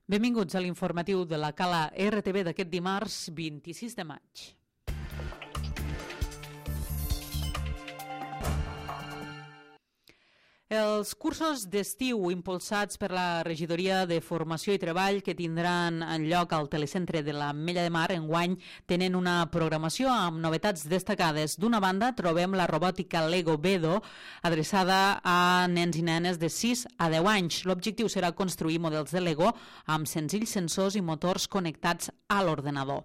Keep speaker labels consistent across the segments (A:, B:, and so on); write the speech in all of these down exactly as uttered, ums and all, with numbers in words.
A: Benvinguts a l'informatiu de la Cala R T V d'aquest dimarts vint-i-sis de maig. Els cursos d'estiu impulsats per la Regidoria de Formació i Treball que tindran lloc al telecentre de l'Ametlla de Mar enguany tenen una programació amb novetats destacades. D'una banda trobem la robòtica Lego Bedo adreçada a nens i nenes de sis a deu anys. L'objectiu serà construir models de Lego amb senzills sensors i motors connectats a l'ordenador.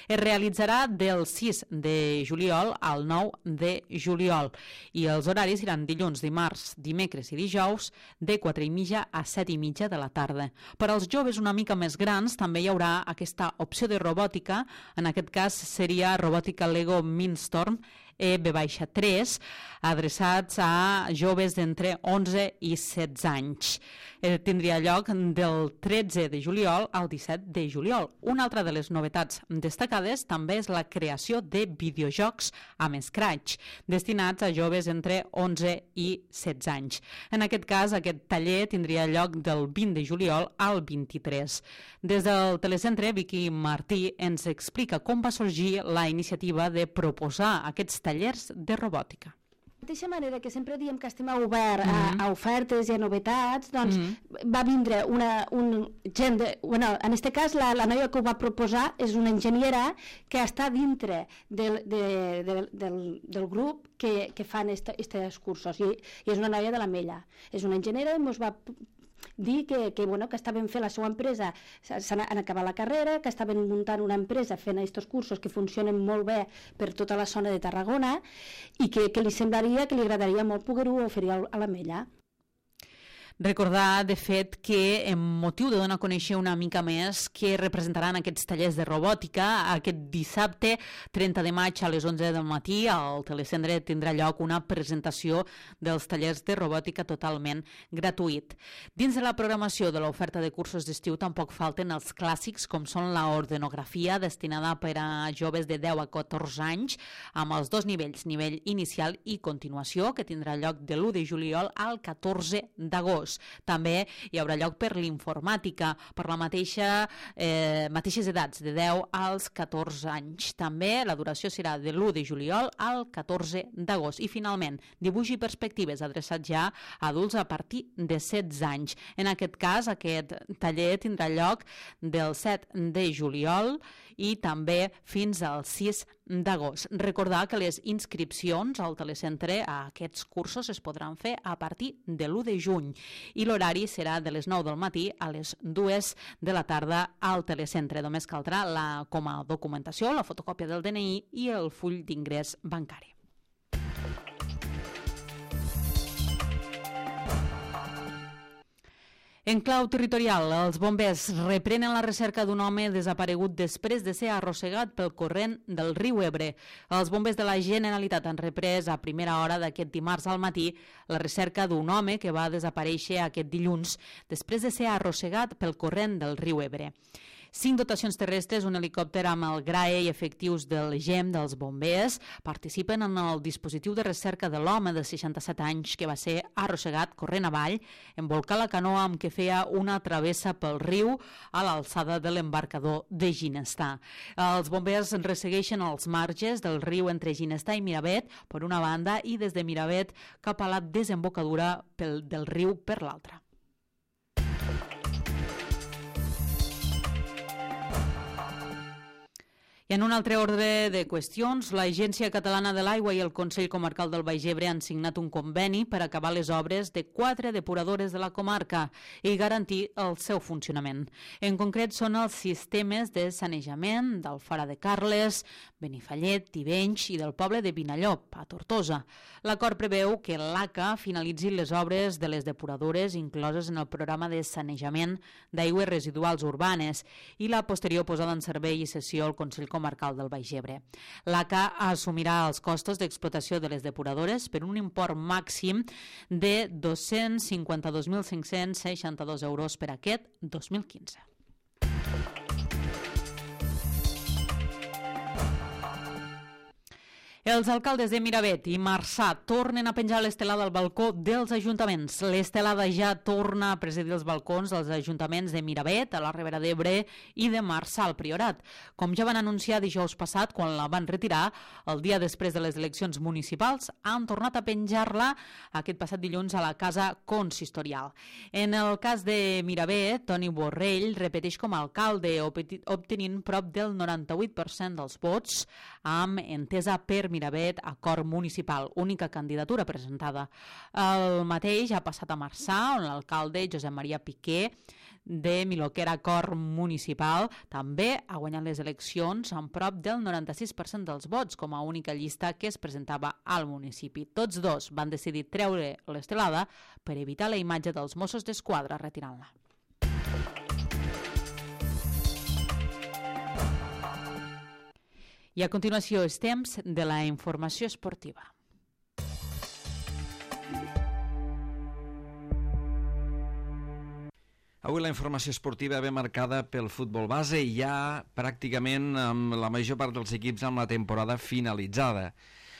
A: Es realitzarà del sis de juliol al nou de juliol i els horaris seran dilluns, dimarts, dimecres i dijous de quatre i mitja a set i mitja de la tarda. Per als joves una mica més grans també hi haurà aquesta opció de robòtica, en aquest cas seria robòtica Lego Mindstorm E B tres, adreçats a joves d'entre onze i setze anys. Eh, tindria lloc del tretze de juliol al disset de juliol. Una altra de les novetats destacades també és la creació de videojocs amb Scratch, destinats a joves entre onze i setze anys. En aquest cas, aquest taller tindria lloc del vint de juliol al vint-i-tres. Des del telecentre, Vicky Martí ens explica com va sorgir la iniciativa de proposar aquests tallers de robòtica.
B: De la mateixa manera que sempre diem que estem obert a, a ofertes i a novetats, doncs mm-hmm. va vindre una, un gent de, bueno, en aquest cas la, la noia que ho va proposar és una enginyera que està dintre del, de, de, del, del grup que, que fan aquests cursos i, i és una noia de l'Ametlla. És una enginyera i ens va dir que, que, bueno, que estaven fent la seva empresa, han acabat la carrera, que estaven muntant una empresa fent aquests cursos que funcionen molt bé per tota la zona de Tarragona i que, que li semblaria, que li agradaria molt poder-ho oferir a l'Ametlla.
A: Recordar, de fet, que en motiu de donar a conèixer una mica més què representaran aquests tallers de robòtica, aquest dissabte trenta de maig a les onze del matí al telecentre tindrà lloc una presentació dels tallers de robòtica totalment gratuït. Dins de la programació de l'oferta de cursos d'estiu tampoc falten els clàssics com són l'ordenografia destinada per a joves de deu a catorze anys amb els dos nivells, nivell inicial i continuació, que tindrà lloc de l'u de juliol al catorze d'agost. També hi haurà lloc per l'informàtica, per la mateixa eh, mateixes edats, de deu als catorze anys. També la duració serà de l'u de juliol al catorze d'agost. I finalment, dibuix i perspectives adreçats ja a adults a partir de setze anys. En aquest cas, aquest taller tindrà lloc del set de juliol i també fins al sis d'agost. Recordar que les inscripcions al telecentre a aquests cursos es podran fer a partir de l'u de juny i l'horari serà de les nou del matí a les dues de la tarda al telecentre. Només caldrà la, com a documentació, la fotocòpia del D N I i el full d'ingrés bancari. En clau territorial, els bombers reprenen la recerca d'un home desaparegut després de ser arrossegat pel corrent del riu Ebre. Els bombers de la Generalitat han reprès a primera hora d'aquest dimarts al matí la recerca d'un home que va desaparèixer aquest dilluns després de ser arrossegat pel corrent del riu Ebre. Cinc dotacions terrestres, un helicòpter amb el GRAE i efectius del G E M dels bombers participen en el dispositiu de recerca de l'home de seixanta-set anys que va ser arrossegat corrent avall en volcar la canoa amb què feia una travessa pel riu a l'alçada de l'embarcador de Ginestar. Els bombers ressegueixen els marges del riu entre Ginestar i Miravet per una banda i des de Miravet cap a la desembocadura pel, del riu per l'altra. I en un altre ordre de qüestions, l'Agència Catalana de l'Aigua i el Consell Comarcal del Baix Ebre han signat un conveni per acabar les obres de quatre depuradores de la comarca i garantir el seu funcionament. En concret, són els sistemes de sanejament d'Alfara de Carles, Benifallet, Tivenys i del poble de Vinallop, a Tortosa. L'acord preveu que l'A C A finalitzi les obres de les depuradores incloses en el programa de sanejament d'aigües residuals urbanes i la posterior posada en servei i cessió al Consell Comarcal del Baix Ebre. L'A C A assumirà els costos d'explotació de les depuradores per un import màxim de dos-cents cinquanta-dos mil cinc-cents seixanta-dos euros per aquest dos mil quinze. Els alcaldes de Miravet i Marçà tornen a penjar l'estelada al balcó dels ajuntaments. L'estelada ja torna a presidir els balcons dels ajuntaments de Miravet, a la Ribera d'Ebre i de Marçà al Priorat. Com ja van anunciar dijous passat, quan la van retirar, el dia després de les eleccions municipals, han tornat a penjar-la aquest passat dilluns a la Casa Consistorial. En el cas de Miravet, Toni Borrell repeteix com a alcalde, obtenint prop del noranta-vuit per cent dels vots, amb entesa per Miravet, acord municipal, única candidatura presentada. El mateix ha passat a Marçà, on l'alcalde Josep Maria Piqué, de Miloquera, acord municipal, també ha guanyat les eleccions amb prop del noranta-sis per cent dels vots com a única llista que es presentava al municipi. Tots dos van decidir treure l'estelada per evitar la imatge dels Mossos d'Esquadra retirant-la. I a continuació és temps de la informació esportiva.
C: Avui la informació esportiva ve marcada pel futbol base i ja pràcticament amb la major part dels equips amb la temporada finalitzada.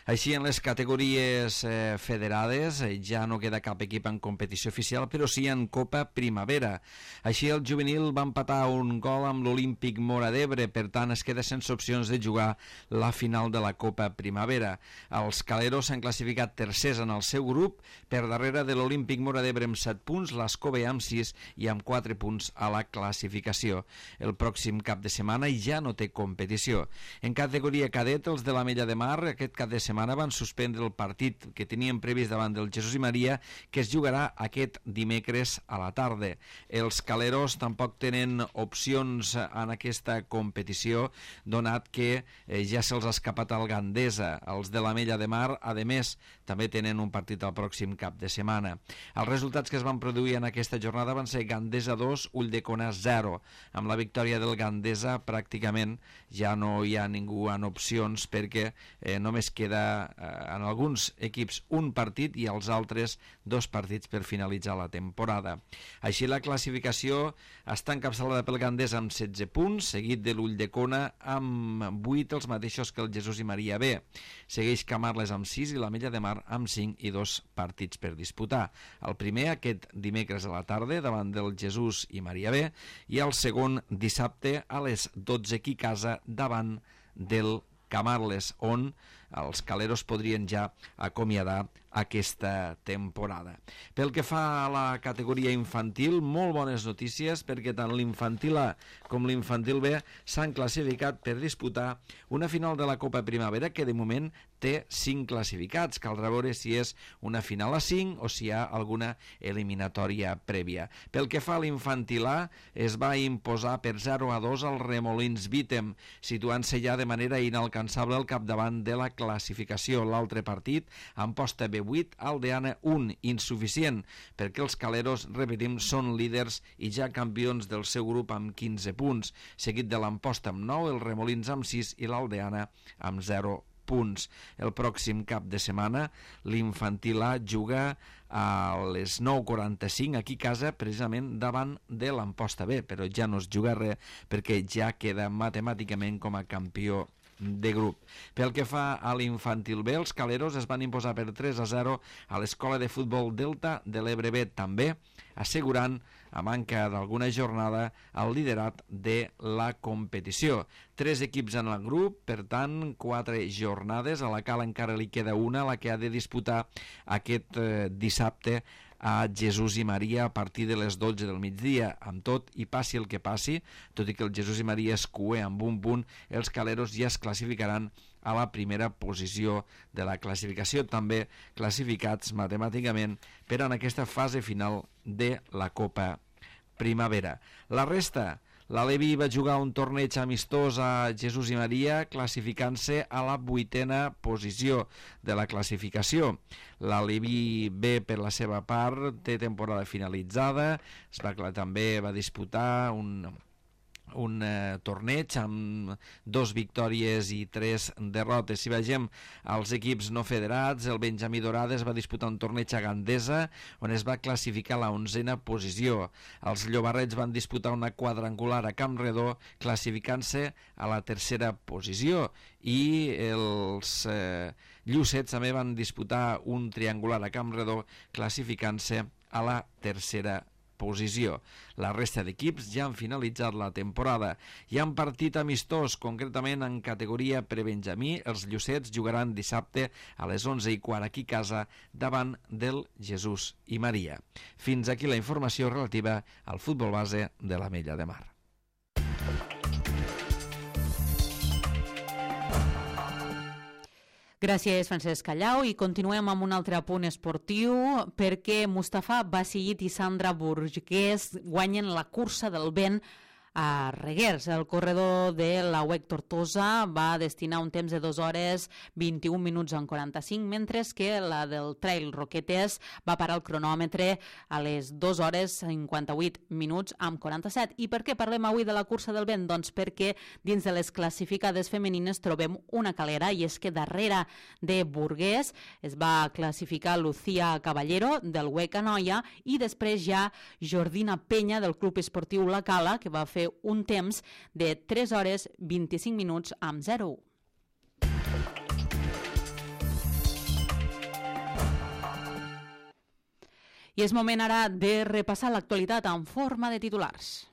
C: Així, en les categories eh, federades eh, ja no queda cap equip en competició oficial, però sí en Copa Primavera. Així, el juvenil va empatar un gol amb l'Olímpic Móra d'Ebre, per tant, es queda sense opcions de jugar la final de la Copa Primavera. Els caleros s'han classificat tercers en el seu grup, per darrere de l'Olímpic Móra d'Ebre amb set punts, l'Escove amb sis i amb quatre punts a la classificació. El pròxim cap de setmana ja no té competició. En categoria cadet, els de l'Ametlla de Mar, aquest cap de setmana setmana van suspendre el partit que tenien previst davant del Jesús i Maria, que es jugarà aquest dimecres a la tarda. Els caleros tampoc tenen opcions en aquesta competició, donat que eh, ja se'ls ha escapat al Gandesa. Els de l'Ametlla de Mar, a més, també tenen un partit al pròxim cap de setmana. Els resultats que es van produir en aquesta jornada van ser Gandesa dos, Ulldecona zero. Amb la victòria del Gandesa pràcticament ja no hi ha ningú en opcions, perquè eh, només queda en alguns equips un partit i els altres dos partits per finalitzar la temporada. Així, la classificació està encapçalada pel Gandesa amb setze punts, seguit de l'Ulldecona amb vuit, els mateixos que el Jesús i Maria B. Segueix Camarles amb sis i l'Ametlla de Mar amb cinc i dos partits per disputar. El primer aquest dimecres a la tarda davant del Jesús i Maria B i el segon dissabte a les dotze aquí a casa davant del Camarles, on els caleros podrien ja acomiadar aquesta temporada. Pel que fa a la categoria infantil, molt bones notícies, perquè tant l'infantil A com l'infantil B s'han classificat per disputar una final de la Copa Primavera que de moment té cinc classificats. Caldrà veure si és una final a cinc o si hi ha alguna eliminatòria prèvia. Pel que fa a l'infantil A, es va imposar per zero a dos al Remolins Vítem, situant-se ja de manera inalcançable al capdavant de la classificació. L'altre partit, amb posta B vuit, Aldeana un, insuficient, perquè els caleros, repetim, són líders i ja campions del seu grup amb quinze punts, seguit de l'Amposta amb nou, el Remolins amb sis i l'Aldeana amb zero punts. El pròxim cap de setmana l'infantil A juga a les nou quaranta-cinc aquí a casa, precisament davant de l'Amposta B, però ja no es juga res perquè ja queda matemàticament com a campió de grup. Pel que fa a l'infantil B, els caleros es van imposar per tres a zero a l'Escola de Futbol Delta de l'Ebre B també, assegurant, a manca d'alguna jornada, el liderat de la competició. Tres equips en el grup, per tant, quatre jornades. A la Cala encara li queda una, la que ha de disputar aquest eh, dissabte a Jesús i Maria a partir de les dotze del migdia. Amb tot, i passi el que passi, tot i que el Jesús i Maria es cué amb un punt, els caleros ja es classificaran a la primera posició de la classificació, també classificats matemàticament per en aquesta fase final de la Copa Primavera. La resta, la Levi va jugar un torneig amistós a Jesús i Maria, classificant-se a la vuitena posició de la classificació. La Levi B, per la seva part, té temporada finalitzada, es va, també va disputar un un eh, torneig amb dos victòries i tres derrotes. Si vegem els equips no federats, el Benjamí Dorades va disputar un torneig a Gandesa on es va classificar a la onzena posició. Els Llobarrets van disputar una quadrangular a Campredó classificant-se a la tercera posició i els eh, Llucets també van disputar un triangular a Campredó classificant-se a la tercera posició. La resta d'equips ja han finalitzat la temporada. Hi ha un partit amistós, concretament en categoria prebenjamí. Els Llucets jugaran dissabte a les onze i quart aquí a casa davant del Jesús i Maria. Fins aquí la informació relativa al futbol base de l'Ametlla de Mar.
A: Gràcies, Francesc Callau, i continuem amb un altre apunt esportiu perquè Mustafa Basigit i Sandra Burgués guanyen la cursa del vent a Reguers. El corredor de la U E C Tortosa va destinar un temps de dues hores vint-i-un minuts en quaranta-cinc, mentre que la del Trail Roquetes va parar el cronòmetre a les dues hores cinquanta-vuit minuts amb quaranta-set. I per què parlem avui de la cursa del vent? Doncs perquè dins de les classificades femenines trobem una calera, i és que darrere de Burgués es va classificar Lucía Caballero del U E C Anoia i després ja Jordina Penya del Club Esportiu La Cala, que va fer un temps de tres hores vint-i-cinc minuts amb zero u. I és moment ara de repassar l'actualitat en forma de titulars.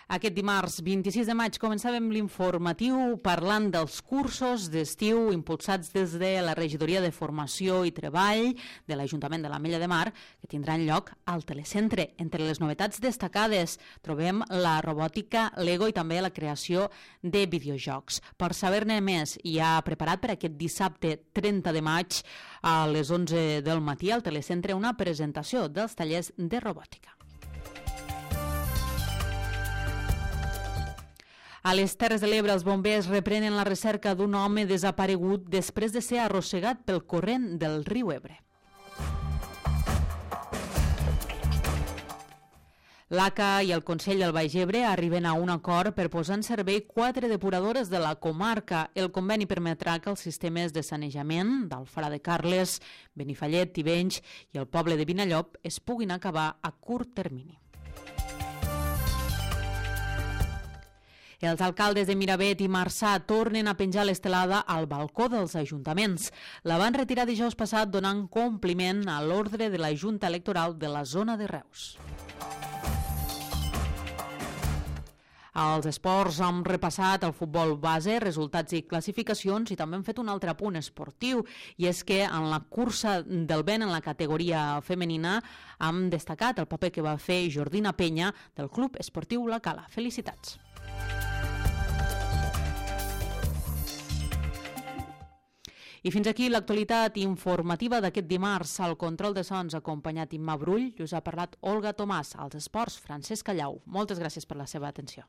A: Aquest dimarts vint-i-sis de maig començàvem l'informatiu parlant dels cursos d'estiu impulsats des de la Regidoria de Formació i Treball de l'Ajuntament de l'Ametlla de Mar, que tindran lloc al Telecentre. Entre les novetats destacades trobem la robòtica Lego i també la creació de videojocs. Per saber-ne més, hi ha preparat per aquest dissabte trenta de maig a les onze del matí al Telecentre una presentació dels tallers de robòtica. A les Terres de l'Ebre, els bombers reprenen la recerca d'un home desaparegut després de ser arrossegat pel corrent del riu Ebre. L'A C A i el Consell del Baix Ebre arriben a un acord per posar en servei quatre depuradores de la comarca. El conveni permetrà que els sistemes de sanejament d'Alfara de Carles, Benifallet, Tivenys i el poble de Vinallop es puguin acabar a curt termini. Els alcaldes de Miravet i Marçà tornen a penjar l'estelada al balcó dels ajuntaments. La van retirar dijous passat donant compliment a l'ordre de la Junta Electoral de la zona de Reus. Als esports hem repassat el futbol base, resultats i classificacions, i també hem fet un altre apunt esportiu, i és que en la cursa del vent en la categoria femenina hem destacat el paper que va fer Jordina Penya del Club Esportiu La Cala. Felicitats! I fins aquí l'actualitat informativa d'aquest dimarts. Al control de sons acompanyat Imma Brull, us ha parlat Olga Tomàs. Als esports, Francesc Callau. Moltes gràcies per la seva atenció.